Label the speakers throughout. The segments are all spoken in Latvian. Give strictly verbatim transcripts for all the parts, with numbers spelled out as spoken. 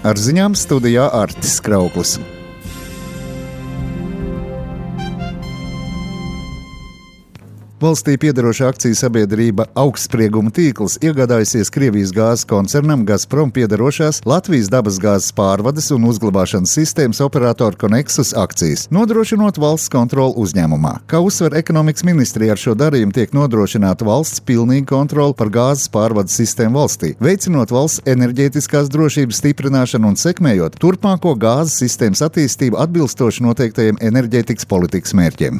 Speaker 1: Ar ziņām studijā Artis Krauklis. Valstī piederoša akciju sabiedrība Augstsprieguma tīkls iegādājusies Krievijas gāzes koncernam Gazprom piederošās Latvijas dabasgāzes pārvades un uzglabāšanas sistēmas operatoru Konexus akcijas, nodrošinot valsts kontroli uzņēmumā. Kā uzsver ekonomikas ministrija, ar šo darījumu tiek nodrošināta valsts pilnīga kontrole par gāzes pārvades sistēmu valstī, veicinot valsts enerģētiskās drošības stiprināšanu un sekmējot turpmāko gāzes sistēmas attīstību atbilstoši noteiktajiem enerģētikas politikas mērķiem.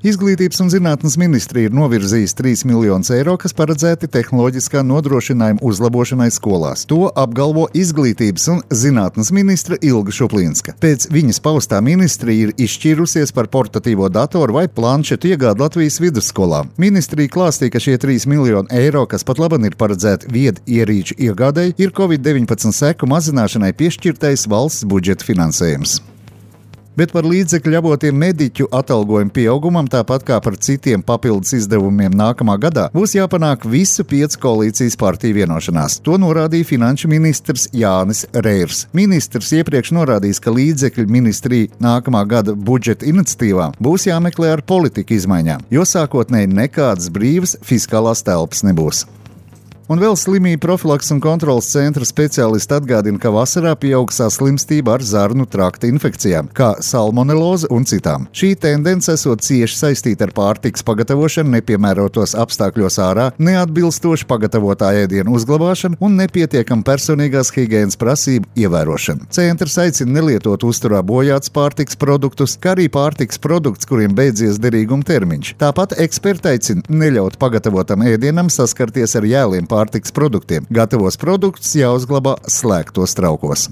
Speaker 1: Izglītības un zinātnes ministrija ir novirzījusi trīs miljonus eiro, kas paredzēti tehnoloģiskā nodrošinājuma uzlabošanai skolās. To apgalvo Izglītības un zinātnes ministre Ilga Šuplīnska. Pēc viņas paustā ministrija ir izšķīrusies par portatīvo datoru vai planšetu iegādi Latvijas vidusskolām. Ministrija klāstīja, ka šie trīs miljoni eiro, kas pat laban ir paredzēti viedu ierīču iegādēji, ir covid deviņpadsmit seku mazināšanai piešķirtais valsts budžeta finansējums. Bet par līdzekļu avotiem mediķu atalgojumu pieaugumam, tāpat kā par citiem papildus izdevumiem nākamā gadā, būs jāpanāk visu piecu koalīcijas partiju vienošanās. To norādīja finanšu ministrs Jānis Reirs. Ministrs iepriekš norādījis, ka līdzekļu ministrija nākamā gada budžeta iniciatīvām būs jāmeklē ar politika izmaiņām, jo sākotnēji nekādas brīvas fiskālās telpas nebūs. Un vēl slimību profilaks un kontrolas centra speciālisti atgādina, ka vasarā pieaug saslimstība ar zarnu trakta infekcijām, kā salmoneloze un citām. Šī tendence esot cieši saistīta ar pārtikas pagatavošanu nepiemērotos apstākļos ārā, neatbilstoši pagatavotā ēdienu uzglabāšanu un nepietiekam personīgās higienas prasību ievērošanu. Centrs aicina nelietot uzturā bojāts pārtikas produktus, kā arī pārtikas produktus, kuriem beidzies derīguma termiņš. Tāpat eksperti aicina neļaut pagatavotam ēdienam saskarties ar jēliem pārtikas produktiem. Gatavos produktus jāuzglabā slēgtos traukos.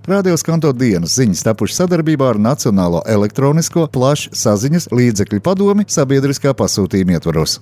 Speaker 1: Radio Skanto dienas ziņas tapušas sadarbībā ar Nacionālo elektronisko plašsaziņas līdzekļu padomi sabiedriskā pasūtījuma ietvaros.